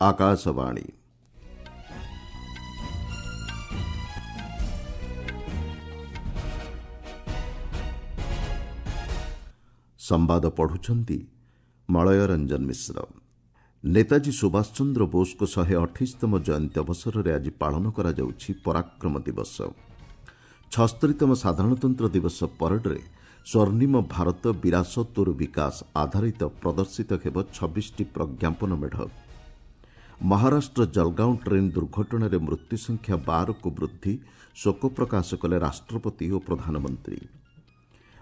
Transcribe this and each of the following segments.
ଆକାଶବାଣୀ। ସମ୍ବାଦ ପଢୁଛନ୍ତି ମଳୟ ରଞ୍ଜନ ମିଶ୍ର। ନେତାଜୀ ସୁଭାଷ ଚନ୍ଦ୍ର ବୋଷଙ୍କ 128ତମ ଜୟନ୍ତୀ ଅବସରରେ ଆଜି ପାଳନ କରାଯାଉଛି ପରାକ୍ରମ ଦିବସ। 76ତମ ସାଧାରଣତନ୍ତ୍ର ଦିବସ ପରେଡରେ ସ୍ୱର୍ଣ୍ଣିମ ଭାରତ ବିରାସତୋର ବିକାଶ ଆଧାରିତ ପ୍ରଦର୍ଶିତ ହେବ 26ଟି ପ୍ରଜ୍ଞାପନ ମେଢ଼। ମହାରାଷ୍ଟ୍ର ଜଲଗାଓଁ ଟ୍ରେନ୍ ଦୁର୍ଘଟଣାରେ ମୃତ୍ୟୁ ସଂଖ୍ୟା 12କୁ ବୃଦ୍ଧି, ଶୋକ ପ୍ରକାଶ କଲେ ରାଷ୍ଟ୍ରପତି ଓ ପ୍ରଧାନମନ୍ତ୍ରୀ।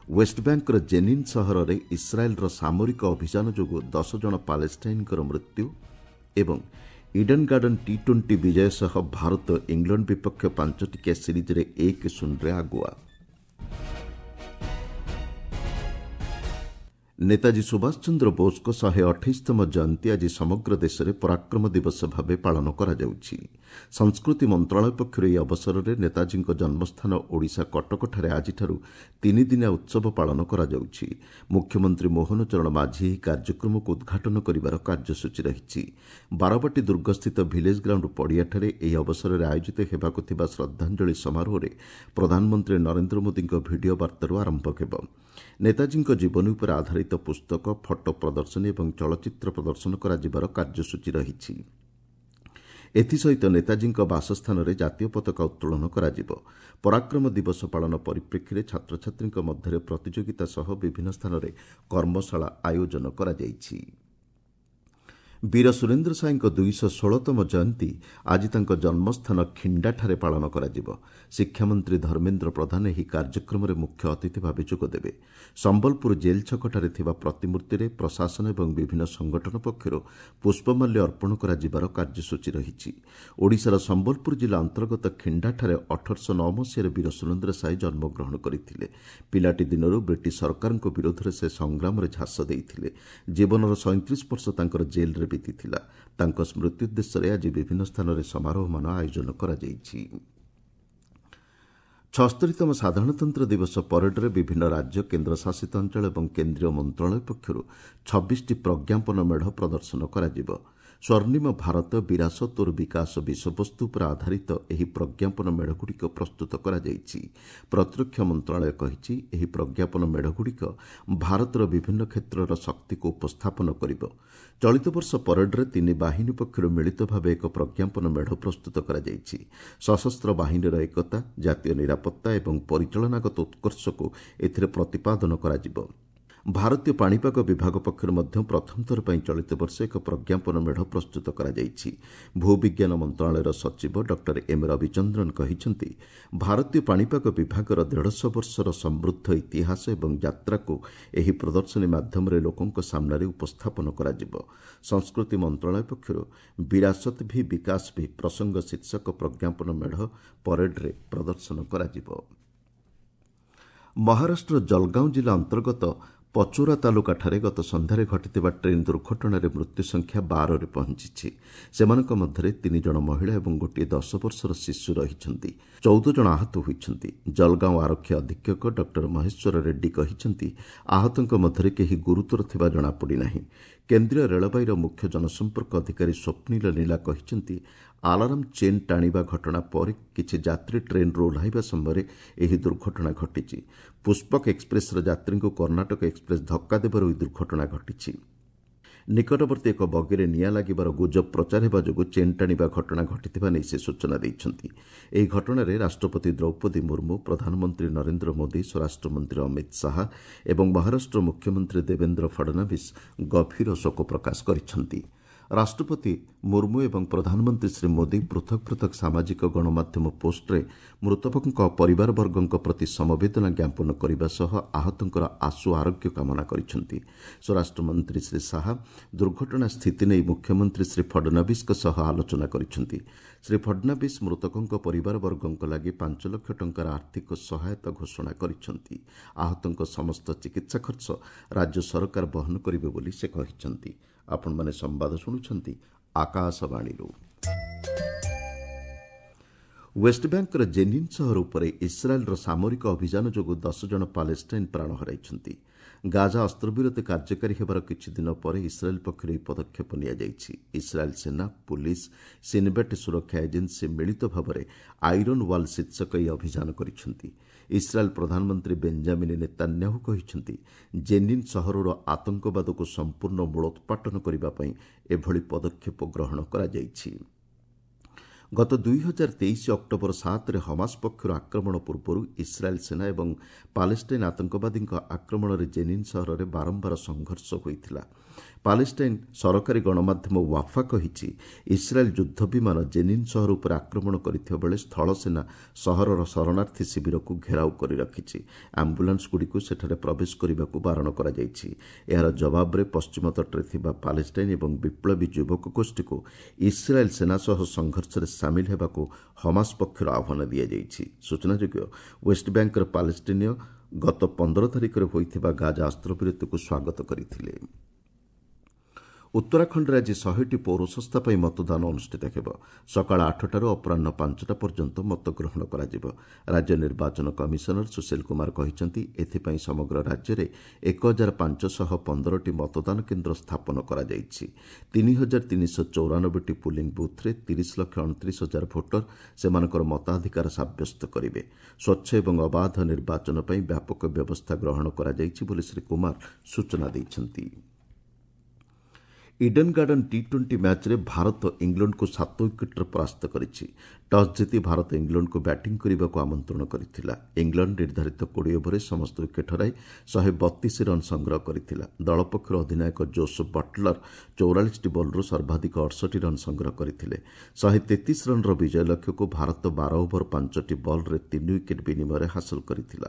ୱେଷ୍ଟବ୍ୟାଙ୍କର ଜେନିନ୍ ସହରରେ ଇସ୍ରାଏଲ୍ର ସାମରିକ ଅଭିଯାନ ଯୋଗୁଁ 10 ଜଣ ପାଲେଷ୍ଟାଇନ୍ଙ୍କର ମୃତ୍ୟୁ ଏବଂ ଇଡେନ୍ ଗାର୍ଡେନ୍ ଟି 20 ବିଜୟ ସହ ଭାରତ ଇଂଲଣ୍ଡ ବିପକ୍ଷ 5 ଟିକିଆ ସିରିଜ୍ରେ 1-0ରେ ଆଗୁଆ। ନେତାଜୀ ସୁଭାଷ ଚନ୍ଦ୍ର ବୋଷଙ୍କ 128ତମ ଜୟନ୍ତୀ ଆଜି ସମଗ୍ର ଦେଶରେ ପରାକ୍ରମ ଦିବସ ଭାବେ ପାଳନ କରାଯାଉଛି। ସଂସ୍କୃତି ମନ୍ତ୍ରଣାଳୟ ପକ୍ଷରୁ ଏହି ଅବସରରେ ନେତାଜୀଙ୍କ ଜନ୍ମସ୍ଥାନ ଓଡ଼ିଶା କଟକଠାରେ ଆଜିଠାରୁ ତିନିଦିନିଆ ଉତ୍ସବ ପାଳନ କରାଯାଉଛି। ମୁଖ୍ୟମନ୍ତ୍ରୀ ମୋହନ ଚରଣ ମାଝୀ ଏହି କାର୍ଯ୍ୟକ୍ରମକୁ ଉଦ୍ଘାଟନ କରିବାର କାର୍ଯ୍ୟସୂଚୀ ରହିଛି। ବାରବାଟୀ ଦୁର୍ଗସ୍ଥିତ ଭିଲେଜ୍ ଗ୍ରାଉଣ୍ଡ ପଡ଼ିଆଠାରେ ଏହି ଅବସରରେ ଆୟୋଜିତ ହେବାକୁ ଥିବା ଶ୍ରଦ୍ଧାଞ୍ଜଳି ସମାରୋହରେ ପ୍ରଧାନମନ୍ତ୍ରୀ ନରେନ୍ଦ୍ର ମୋଦିଙ୍କ ଭିଡ଼ିଓ ବାର୍ତ୍ତାରୁ ଆରମ୍ଭ ହେବ। ନେତାଜୀଙ୍କ ଜୀବନୀ ଉପରେ ଆଧାରିତ ପୁସ୍ତକ, ଫଟୋ ପ୍ରଦର୍ଶନୀ ଏବଂ ଚଳଚ୍ଚିତ୍ର ପ୍ରଦର୍ଶନ କରାଯିବାର କାର୍ଯ୍ୟସୂଚୀ ରହିଛି। ଏଥିସହିତ ନେତାଜୀଙ୍କ ବାସସ୍ଥାନରେ ଜାତୀୟ ପତାକା ଉତ୍ତୋଳନ କରାଯିବ। ପରାକ୍ରମ ଦିବସ ପାଳନ ପରିପ୍ରେକ୍ଷୀରେ ଛାତ୍ରଛାତ୍ରୀଙ୍କ ମଧ୍ୟରେ ପ୍ରତିଯୋଗିତା ସହ ବିଭିନ୍ନ ସ୍ଥାନରେ କର୍ମଶାଳା ଆୟୋଜନ କରାଯାଇଛି। ବୀର ସୁରେନ୍ଦ୍ର ସାଏଙ୍କ 216ତମ ଜୟନ୍ତୀ ଆଜି ତାଙ୍କ ଜନ୍ମସ୍ଥାନ ଖିଣ୍ଡାଠାରେ ପାଳନ କରାଯିବ। ଶିକ୍ଷାମନ୍ତ୍ରୀ ଧର୍ମେନ୍ଦ୍ର ପ୍ରଧାନ ଏହି କାର୍ଯ୍ୟକ୍ରମରେ ମୁଖ୍ୟ ଅତିଥି ଭାବେ ଯୋଗଦେବେ। ସମ୍ବଲପୁର ଜେଲ୍ ଛକଠାରେ ଥିବା ପ୍ରତିମୂର୍ତ୍ତିରେ ପ୍ରଶାସନ ଏବଂ ବିଭିନ୍ନ ସଂଗଠନ ପକ୍ଷରୁ ପୁଷ୍ପମାଲ୍ୟ ଅର୍ପଣ କରାଯିବାର କାର୍ଯ୍ୟସୂଚୀ ରହିଛି। ଓଡ଼ିଶାର ସମ୍ବଲପୁର ଜିଲ୍ଲା ଅନ୍ତର୍ଗତ ଖିଣ୍ଡାଠାରେ 1809 ମସିହାରେ ବୀର ସୁରେନ୍ଦ୍ର ସାଏ ଜନ୍ମଗ୍ରହଣ କରିଥିଲେ। ପିଲାଟି ଦିନରୁ ବ୍ରିଟିଶ ସରକାରଙ୍କ ବିରୋଧରେ ସେ ସଂଗ୍ରାମରେ ଝାସ ଦେଇଥିଲେ। ଜୀବନର 37 ବର୍ଷ ତାଙ୍କର ଜେଲ୍ରେ ବିତିଥିଲା। ତାଙ୍କ ସ୍ମୃତି ଉଦ୍ଦେଶ୍ୟରେ ଆଜି ବିଭିନ୍ନ ସ୍ଥାନରେ ସମାରୋହମାନ ଆୟୋଜନ କରାଯାଇଛି। 76ତମ ସାଧାରଣତନ୍ତ୍ର ଦିବସ ପରେଡରେ ବିଭିନ୍ନ ରାଜ୍ୟ, କେନ୍ଦ୍ରଶାସିତ ଅଞ୍ଚଳ ଏବଂ କେନ୍ଦ୍ରୀୟ ମନ୍ତ୍ରଣାଳୟ ପକ୍ଷରୁ 26ଟି ପ୍ରଜ୍ଞାପନ ମେଢ଼ ପ୍ରଦର୍ଶନ କରାଯିବ। ସ୍ୱର୍ଣ୍ଣିମ ଭାରତ ବିରାସତୋର ବିକାଶ ବିଷୟବସ୍ତୁ ଉପରେ ଆଧାରିତ ଏହି ପ୍ରଜ୍ଞାପନ ମେଢ଼ଗୁଡ଼ିକ ପ୍ରସ୍ତୁତ କରାଯାଇଛି। ପ୍ରତିରକ୍ଷା ମନ୍ତ୍ରଣାଳୟ କହିଛି, ଏହି ପ୍ରଜ୍ଞାପନ ମେଢ଼ଗୁଡ଼ିକ ଭାରତର ବିଭିନ୍ନ କ୍ଷେତ୍ରର ଶକ୍ତିକୁ ଉପସ୍ଥାପନ କରିବ। ଚଳିତ ବର୍ଷ ପରେଡରେ ତିନି ବାହିନୀ ପକ୍ଷରୁ ମିଳିତ ଭାବେ ଏକ ପ୍ରଜ୍ଞାପନ ମେଢ଼ ପ୍ରସ୍ତୁତ କରାଯାଇଛି। ସଶସ୍ତ୍ର ବାହିନୀର ଏକତା, ଜାତୀୟ ନିରାପତ୍ତା ଏବଂ ପରିଚାଳନାଗତ ଉତ୍କର୍ଷକୁ ଏଥିରେ ପ୍ରତିପାଦନ କରାଯିବ। ଭାରତୀୟ ପାଣିପାଗ ବିଭାଗ ପକ୍ଷରୁ ମଧ୍ୟ ପ୍ରଥମ ଥର ପାଇଁ ଚଳିତ ବର୍ଷ ଏକ ପ୍ରଜ୍ଞାପନ ମେଢ଼ ପ୍ରସ୍ତୁତ କରାଯାଇଛି। ଭୂବିଜ୍ଞାନ ମନ୍ତ୍ରଣାଳୟର ସଚିବ ଡକ୍ଟର ଏମ୍ ରବିଚନ୍ଦ୍ରନ କହିଛନ୍ତି, ଭାରତୀୟ ପାଣିପାଗ ବିଭାଗର 150 ବର୍ଷର ସମୃଦ୍ଧ ଇତିହାସ ଏବଂ ଯାତ୍ରାକୁ ଏହି ପ୍ରଦର୍ଶନୀ ମାଧ୍ୟମରେ ଲୋକଙ୍କ ସାମ୍ନାରେ ଉପସ୍ଥାପନ କରାଯିବ। ସଂସ୍କୃତି ମନ୍ତ୍ରଣାଳୟ ପକ୍ଷରୁ ବିରାସତ ଭି ବିକାଶ ଭି ପ୍ରସଙ୍ଗ ଶୀର୍ଷକ ପ୍ରଜ୍ଞାପନ ମେଢ଼ ପରେଡରେ ପ୍ରଦର୍ଶନ କରାଯିବ। ମହାରାଷ୍ଟ୍ର ଜଲଗାଓଁ ଜିଲ୍ଲା ଅନ୍ତର୍ଗତ ପଚୋରା ତାଲୁକାଠାରେ ଗତ ସନ୍ଧ୍ୟାରେ ଘଟିଥିବା ଟ୍ରେନ୍ ଦୁର୍ଘଟଣାରେ ମୃତ୍ୟୁ ସଂଖ୍ୟା 12ରେ ପହଞ୍ଚିଛି। ସେମାନଙ୍କ ମଧ୍ୟରେ 3 ଜଣ ମହିଳା ଏବଂ ଗୋଟିଏ 10 ବର୍ଷର ଶିଶୁ ରହିଛନ୍ତି। 14 ଜଣ ଆହତ ହୋଇଛନ୍ତି। ଜଲଗାଓଁ ଆରକ୍ଷୀ ଅଧୀକ୍ଷକ ଡକ୍ଟର ମହେଶ୍ୱର ରେଡ୍ଡୀ କହିଛନ୍ତି, ଆହତଙ୍କ ମଧ୍ୟରେ କେହି ଗୁରୁତର ଥିବା ଜଣାପଡ଼ିନାହିଁ। କେନ୍ଦ୍ରୀୟ ରେଳବାଇର ମୁଖ୍ୟ ଜନସମ୍ପର୍କ ଅଧିକାରୀ ସ୍ୱପ୍ନିଲ ନୀଲା କହିଛନ୍ତି, ଆଲାରାମ ଚେନ୍ ଟାଣିବା ଘଟଣା ପରେ କିଛି ଯାତ୍ରୀ ଟ୍ରେନ୍ରୁ ଓହ୍ଲାଇବା ସମୟରେ ଏହି ଦୁର୍ଘଟଣା ଘଟିଛି। ପୁଷ୍ପକ ଏକ୍ସପ୍ରେସ୍ର ଯାତ୍ରୀଙ୍କୁ କର୍ଣ୍ଣାଟକ ଏକ୍ସପ୍ରେସ୍ ଧକ୍କା ଦେବାରୁ ଏହି ଦୁର୍ଘଟଣା ଘଟିଛି। ନିକଟବର୍ତ୍ତୀ ଏକ ବଗିରେ ନିଆଁ ଲାଗିବାର ଗୁଜବ ପ୍ରଚାର ହେବା ଯୋଗୁଁ ଚେନ୍ ଟାଣିବା ଘଟଣା ଘଟିଥିବା ନେଇ ସେ ସୂଚନା ଦେଇଛନ୍ତି। ଏହି ଘଟଣାରେ ରାଷ୍ଟ୍ରପତି ଦ୍ରୌପଦୀ ମୁର୍ମୁ, ପ୍ରଧାନମନ୍ତ୍ରୀ ନରେନ୍ଦ୍ର ମୋଦି, ସ୍ୱରାଷ୍ଟ୍ରମନ୍ତ୍ରୀ ଅମିତ ଶାହା ଏବଂ ମହାରାଷ୍ଟ୍ର ମୁଖ୍ୟମନ୍ତ୍ରୀ ଦେବେନ୍ଦ୍ର ଫଡନାଭିସ୍ ଗଭୀର ଶୋକ ପ୍ରକାଶ କରିଛନ୍ତି। ରାଷ୍ଟ୍ରପତି ମୁର୍ମୁ ଏବଂ ପ୍ରଧାନମନ୍ତ୍ରୀ ଶ୍ରୀ ମୋଦି ପୃଥକ ପୃଥକ ସାମାଜିକ ଗଣମାଧ୍ୟମ ପୋଷ୍ଟରେ ମୃତକଙ୍କ ପରିବାରବର୍ଗଙ୍କ ପ୍ରତି ସମବେଦନା ଜ୍ଞାପନ କରିବା ସହ ଆହତଙ୍କର ଆଶୁ ଆରୋଗ୍ୟ କାମନା କରିଛନ୍ତି। ସ୍ୱରାଷ୍ଟ୍ରମନ୍ତ୍ରୀ ଶ୍ରୀ ଶାହା ଦୁର୍ଘଟଣା ସ୍ଥିତି ନେଇ ମୁଖ୍ୟମନ୍ତ୍ରୀ ଶ୍ରୀ ଫଡନାଭିସ୍ଙ୍କ ସହ ଆଲୋଚନା କରିଛନ୍ତି। ଶ୍ରୀ ଫଡନାଭିସ୍ ମୃତକଙ୍କ ପରିବାରବର୍ଗଙ୍କ ଲାଗି 5 ଲକ୍ଷ ଟଙ୍କାର ଆର୍ଥିକ ସହାୟତା ଘୋଷଣା କରିଛନ୍ତି। ଆହତଙ୍କ ସମସ୍ତ ଚିକିତ୍ସା ଖର୍ଚ୍ଚ ରାଜ୍ୟ ସରକାର ବହନ କରିବେ ବୋଲି ସେ କହିଛନ୍ତି। ଆପଣମାନେ ସମ୍ବାଦ ଶୁଣୁଛନ୍ତି ଆକାଶବାଣୀରୁ। ୱେଷ୍ଟବ୍ୟାଙ୍କର ଜେନିନ୍ ସହର ଉପରେ ଇସ୍ରାଏଲ୍ର ସାମରିକ ଅଭିଯାନ ଯୋଗୁଁ 10 ଜଣ ପାଲେଷ୍ଟାଇନ୍ ପ୍ରାଣ ହରାଇଛନ୍ତି। ଗାଜା ଅସ୍ତ୍ରବିରତି କାର୍ଯ୍ୟକାରୀ ହେବାର କିଛିଦିନ ପରେ ଇସ୍ରାଏଲ୍ ପକ୍ଷରୁ ଏହି ପଦକ୍ଷେପ ନିଆଯାଇଛି। ଇସ୍ରାଏଲ୍ ସେନା, ପୁଲିସ୍, ସିନ୍ବେଟ୍ ସୁରକ୍ଷା ଏଜେନ୍ସି ମିଳିତ ଭାବରେ ଆଇରନ୍ ୱାଲ୍ ଶୀର୍ଷକ ଏହି ଅଭିଯାନ କରିଛନ୍ତି। ଇସ୍ରାଏଲ୍ ପ୍ରଧାନମନ୍ତ୍ରୀ ବେଞ୍ଜାମିନ୍ ନେତାନ୍ୟାହୁ କହିଛନ୍ତି, ଜେନିନ୍ ସହରରୁ ଆତଙ୍କବାଦକୁ ସମ୍ପୂର୍ଣ୍ଣ ମୂଳୋତ୍ପାଟନ କରିବା ପାଇଁ ଏଭଳି ପଦକ୍ଷେପ ଗ୍ରହଣ କରାଯାଇଛି। ଗତ 2023 ଅକ୍ଟୋବର 7ରେ ହମାସ ପକ୍ଷରୁ ଆକ୍ରମଣ ପୂର୍ବରୁ ଇସ୍ରାଏଲ୍ ସେନା ଏବଂ ପାଲେଷ୍ଟାଇନ୍ ଆତଙ୍କବାଦୀଙ୍କ ଆକ୍ରମଣରେ ଜେନିନ୍ ସହରରେ ବାରମ୍ବାର ସଂଘର୍ଷ ହୋଇଥିଲା। ପାଲେଷ୍ଟାଇନ୍ ସରକାରୀ ଗଣମାଧ୍ୟମ ୱାଫା କହିଛି, ଇସ୍ରାଏଲ୍ ଯୁଦ୍ଧ ବିମାନ ଜେନିନ୍ ସହର ଉପରେ ଆକ୍ରମଣ କରିଥିବା ବେଳେ ସ୍ଥଳସେନା ସହରର ଶରଣାର୍ଥୀ ଶିବିରକୁ ଘେରାଉ କରି ରଖିଛି। ଆମ୍ବୁଲାନ୍ସଗୁଡ଼ିକୁ ସେଠାରେ ପ୍ରବେଶ କରିବାକୁ ବାରଣ କରାଯାଇଛି। ଏହାର ଜବାବରେ ପଶ୍ଚିମ ତଟରେ ଥିବା ପାଲେଷ୍ଟାଇନ୍ ଏବଂ ବିପ୍ଳବୀ ଯୁବକ ଗୋଷ୍ଠୀକୁ ଇସ୍ରାଏଲ୍ ସେନା ସହ ସଂଘର୍ଷରେ ସାମିଲ ହେବାକୁ ହମାସ ପକ୍ଷରୁ ଆହ୍ୱାନ ଦିଆଯାଇଛି। ସୂଚନାଯୋଗ୍ୟ, ୱେଷ୍ଟବ୍ୟାଙ୍କର ପାଲେଷ୍ଟିନୀୟ ଗତ 15 ତାରିଖରେ ହୋଇଥିବା ଗାଜା ଅସ୍ତ୍ରବିରତିକୁ ସ୍ୱାଗତ କରିଥିଲେ। ଉତ୍ତରାଖଣ୍ଡରେ ଆଜି 100ଟି ପୌରସଂସ୍ଥା ପାଇଁ ମତଦାନ ଅନୁଷ୍ଠିତ ହେବ। ସକାଳ 8ଟାରୁ ଅପରାହ୍ନ 5ଟା ପର୍ଯ୍ୟନ୍ତ ମତଗ୍ରହଣ କରାଯିବ। ରାଜ୍ୟ ନିର୍ବାଚନ କମିଶନର ସୁଶୀଲ କୁମାର କହିଛନ୍ତି, ଏଥିପାଇଁ ସମଗ୍ର ରାଜ୍ୟରେ 1515ଟି ମତଦାନ କେନ୍ଦ୍ର ସ୍ଥାପନ କରାଯାଇଛି। 3394ଟି ପୁଲିଂ ବୁଥ୍ରେ 30,29,000 ଭୋଟର ସେମାନଙ୍କର ମତାଧିକାର ସାବ୍ୟସ୍ତ କରିବେ। ସ୍ୱଚ୍ଛ ଏବଂ ଅବାଧ ନିର୍ବାଚନ ପାଇଁ ବ୍ୟାପକ ବ୍ୟବସ୍ଥା ଗ୍ରହଣ କରାଯାଇଛି ବୋଲି ଶ୍ରୀ କୁମାର ସୂଚନା ଦେଇଛନ୍ତି। ଇଡେନ୍ ଗାର୍ଡେନ୍ ଟି-20 ମ୍ୟାଚ୍ରେ ଭାରତ ଇଂଲଣ୍ଡକୁ 7 ୱିକେଟ୍ରେ ପରାସ୍ତ କରିଛି। ଟସ୍ ଜିତି ଭାରତ ଇଂଲଣ୍ଡକୁ ବ୍ୟାଟିଂ କରିବାକୁ ଆମନ୍ତ୍ରଣ କରିଥିଲା। ଇଂଲଣ୍ଡ ନିର୍ଦ୍ଧାରିତ 20 ଓଭରରେ ସମସ୍ତ ୱିକେଟ୍ ହରାଇ 132 ରନ୍ ସଂଗ୍ରହ କରିଥିଲା। ଦଳ ପକ୍ଷରୁ ଅଧିନାୟକ ଜୋସ୍ ବଟ୍ଲର 44ଟି ବଲ୍ରୁ ସର୍ବାଧିକ 68 ରନ୍ ସଂଗ୍ରହ କରିଥିଲେ। 133 ରନ୍ର ବିଜୟ ଲକ୍ଷ୍ୟକୁ ଭାରତ 12 ଓଭର 5ଟି ବଲ୍ରେ 3 ୱିକେଟ୍ ବିନିମୟରେ ହାସଲ କରିଥିଲା।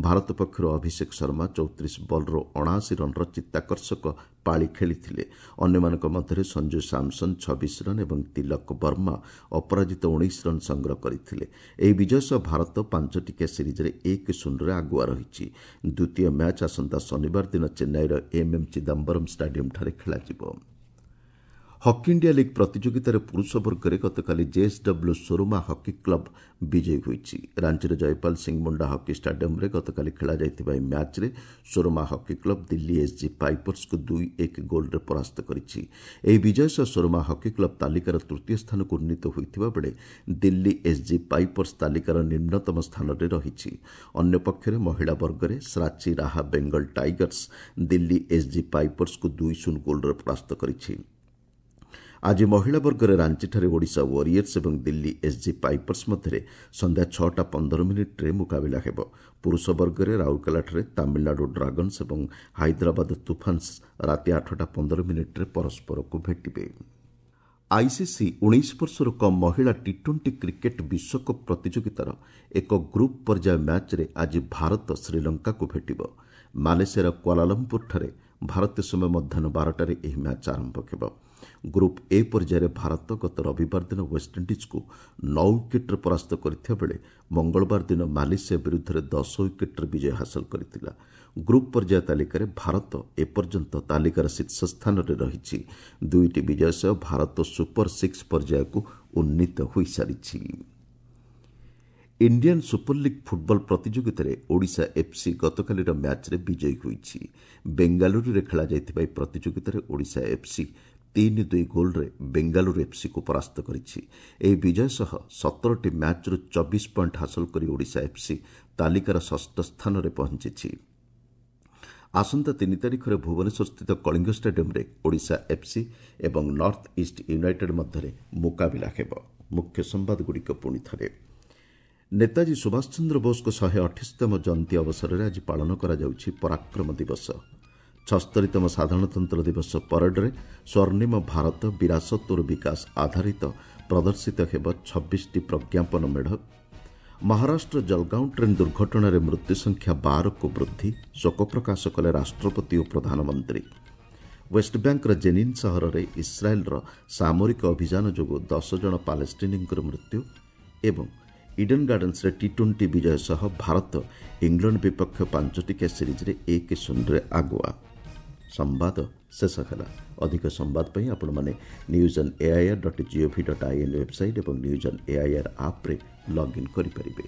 ଭାରତ ପକ୍ଷରୁ ଅଭିଷେକ ଶର୍ମା 34 ବଲ୍ରୁ 79 ରନ୍ର ଚିତ୍ତାକର୍ଷକ ପାଳି ଖେଳିଥିଲେ। ଅନ୍ୟମାନଙ୍କ ମଧ୍ୟରେ ସଞ୍ଜୁ ସାମସନ୍ 26 ରନ୍ ଏବଂ ତିଲକ ବର୍ମା ଅପରାଜିତ 19 ରନ୍ ସଂଗ୍ରହ କରିଥିଲେ। ଏହି ବିଜୟ ସହ ଭାରତ 5 ଟିକିଆ ସିରିଜ୍ରେ 1-0ରେ ଆଗୁଆ ରହିଛି। ଦ୍ୱିତୀୟ ମ୍ୟାଚ୍ ଆସନ୍ତା ଶନିବାର ଦିନ ଚେନ୍ନାଇର ଏମ୍ଏମ୍ ଚିଦାମ୍ବରମ୍ ଷ୍ଟାଡିୟମ୍ଠାରେ ଖେଳାଯିବ। ହକି ଇଣ୍ଡିଆ ଲିଗ୍ ପ୍ରତିଯୋଗିତାରେ ପୁରୁଷ ବର୍ଗରେ ଗତକାଲି ଜେଏସ୍ଡବ୍ଲ୍ୟୁ ସୋରମା ହକି କ୍ଲବ୍ ବିଜୟୀ ହୋଇଛି। ରାଞ୍ଚିର ଜୟପାଲ ସିଂ ମୁଣ୍ଡା ହକି ଷ୍ଟାଡିୟମ୍ରେ ଗତକାଲି ଖେଳାଯାଇଥିବା ଏହି ମ୍ୟାଚ୍ରେ ସୋରମା ହକି କ୍ଲବ୍ ଦିଲ୍ଲୀ ଏସ୍ଜି ପାଇପର୍ସକୁ 2-1 ଗୋଲ୍ରେ ପରାସ୍ତ କରିଛି। ଏହି ବିଜୟ ସହ ସୋରମା ହକି କ୍ଲବ୍ ତାଲିକାର ତୃତୀୟ ସ୍ଥାନକୁ ଉନ୍ନୀତ ହୋଇଥିବା ବେଳେ ଦିଲ୍ଲୀ ଏସ୍ଜି ପାଇପର୍ସ ତାଲିକାର ନିମ୍ନତମ ସ୍ଥାନରେ ରହିଛି। ଅନ୍ୟପକ୍ଷରେ ମହିଳା ବର୍ଗରେ ଶ୍ରାଚୀ ରାହା ବେଙ୍ଗଲ ଟାଇଗର୍ସ ଦିଲ୍ଲୀ ଏସ୍ଜି ପାଇପର୍ସକୁ 2-0 ଗୋଲ୍ରେ ପରାସ୍ତ କରିଛି। ଆଜି ମହିଳା ବର୍ଗରେ ରାଞ୍ଚିଠାରେ ଓଡ଼ିଶା ୱାରିୟର୍ସ ଏବଂ ଦିଲ୍ଲୀ ଏସ୍ଜି ପାଇପର୍ସ ମଧ୍ୟରେ ସନ୍ଧ୍ୟା 6ଟା 15 ମିନିଟ୍ରେ ମୁକାବିଲା ହେବ। ପୁରୁଷ ବର୍ଗରେ ରାଉରକେଲାଠାରେ ତାମିଲନାଡୁ ଡ୍ରାଗନ୍ସ ଏବଂ ହାଇଦ୍ରାବାଦ ତୁଫାନ୍ସ ରାତି 8ଟା 15 ମିନିଟ୍ରେ ପରସ୍ପରକୁ ଭେଟିବେ। ଆଇସିସି 19 ବର୍ଷରୁ କମ୍ ମହିଳା ଟି-20 କ୍ରିକେଟ୍ ବିଶ୍ୱକପ୍ ପ୍ରତିଯୋଗିତାର ଏକ ଗ୍ରୁପ୍ ପର୍ଯ୍ୟାୟ ମ୍ୟାଚ୍ରେ ଆଜି ଭାରତ ଶ୍ରୀଲଙ୍କାକୁ ଭେଟିବ। ମାଲେସିଆର କ୍ୱାଲାଲମ୍ପୁରଠାରେ ଭାରତୀୟ ସମୟ ମଧ୍ୟାହ୍ନ 12ଟାରେ ଏହି ମ୍ୟାଚ୍ ଆରମ୍ଭ ହେବ। ଗ୍ରୁପ୍ ଏ ପର୍ଯ୍ୟାୟରେ ଭାରତ ଗତ ରବିବାର ଦିନ ୱେଷ୍ଟଇଣ୍ଡିଜ୍କୁ 9 ୱିକେଟ୍ରେ ପରାସ୍ତ କରିଥିବା ବେଳେ ମଙ୍ଗଳବାର ଦିନ ମାଲେସିଆ ବିରୁଦ୍ଧରେ 10 ୱିକେଟ୍ରେ ବିଜୟ ହାସଲ କରିଥିଲା। ଗ୍ରୁପ୍ ପର୍ଯ୍ୟାୟ ତାଲିକାରେ ଭାରତ ଏପର୍ଯ୍ୟନ୍ତ ତାଲିକାର ଶୀର୍ଷ ସ୍ଥାନରେ ରହିଛି। ଦୁଇଟି ବିଜୟ ସହ ଭାରତ ସୁପର ସିକ୍ସ ପର୍ଯ୍ୟାୟକୁ ଉନ୍ନୀତ ହୋଇସାରିଛି। ଇଣ୍ଡିଆନ୍ ସୁପର ଲିଗ୍ ଫୁଟବଲ ପ୍ରତିଯୋଗିତାରେ ଓଡ଼ିଶା ଏଫ୍ସି ଗତକାଲିର ମ୍ୟାଚ୍ରେ ବିଜୟୀ ହୋଇଛି। ବେଙ୍ଗାଲୁରୁରେ ଖେଳାଯାଇଥିବା ଏହି ପ୍ରତିଯୋଗିତାରେ ଓଡ଼ିଶା ଏଫ୍ସି 3-2 ଗୋଲ୍ରେ ବେଙ୍ଗାଲୁରୁ ଏଫ୍ସିକୁ ପରାସ୍ତ କରିଛି। ଏହି ବିଜୟ ସହ 17ଟି ମ୍ୟାଚ୍ରୁ 24 ପଏଣ୍ଟ ହାସଲ କରି ଓଡ଼ିଶା ଏଫ୍ସି ତାଲିକାର ଷଷ୍ଠ ସ୍ଥାନରେ ପହଞ୍ଚିଛି। ଆସନ୍ତା 3 ତାରିଖରେ ଭୁବନେଶ୍ୱରସ୍ଥିତ କଳିଙ୍ଗ ଷ୍ଟାଡିୟମ୍ରେ ଓଡ଼ିଶା ଏଫ୍ସି ଏବଂ ନର୍ଥ ଇଷ୍ଟ ୟୁନାଇଟେଡ୍ ମଧ୍ୟରେ ମୁକାବିଲା ହେବ। ମୁଖ୍ୟ ସମ୍ବାଦଗୁଡ଼ିକ ପୁଣି ଥରେ। ନେତାଜୀ ସୁଭାଷ ଚନ୍ଦ୍ର ବୋଷଙ୍କ 128ତମ ଜୟନ୍ତୀ ଅବସରରେ ଆଜି ପାଳନ କରାଯାଉଛି ପରାକ୍ରମ ଦିବସ। 76ତମ ସାଧାରଣତନ୍ତ୍ର ଦିବସ ପରେଡରେ ସ୍ୱର୍ଣ୍ଣିମ ଭାରତ ବିରାସତ ଓ ବିକାଶ ଆଧାରିତ ପ୍ରଦର୍ଶିତ ହେବ 26ଟି ପ୍ରଜ୍ଞାପନ ମେଢ଼। ମହାରାଷ୍ଟ୍ର ଜଲଗାଓଁ ଟ୍ରେନ୍ ଦୁର୍ଘଟଣାରେ ମୃତ୍ୟୁ ସଂଖ୍ୟା 12କୁ ବୃଦ୍ଧି, ଶୋକ ପ୍ରକାଶ କଲେ ରାଷ୍ଟ୍ରପତି ଓ ପ୍ରଧାନମନ୍ତ୍ରୀ। ୱେଷ୍ଟବ୍ୟାଙ୍କର ଜେନିନ୍ ସହରରେ ଇସ୍ରାଏଲ୍ର ସାମରିକ ଅଭିଯାନ ଯୋଗୁଁ 10 ଜଣ ପାଲେଷ୍ଟିନୀଙ୍କର ମୃତ୍ୟୁ ଏବଂ ଇଡେନ୍ ଗାର୍ଡେନ୍ସରେ ଟି-20 ବିଜୟ ସହ ଭାରତ ଇଂଲଣ୍ଡ ବିପକ୍ଷ 5 ଟିକିଆ ସିରିଜ୍ରେ 1-0ରେ ଆଗୁଆ। ସମ୍ବାଦ ଶେଷ ହେଲା। ଅଧିକ ସମ୍ବାଦ ପାଇଁ ଆପଣମାନେ news on AIR.gov.in website ଏବଂ ନ୍ୟୁଜ୍ ଅନ୍ ଏଆଇଆର୍ ଆପ୍ରେ ଲଗ୍ଇନ୍ କରିପାରିବେ।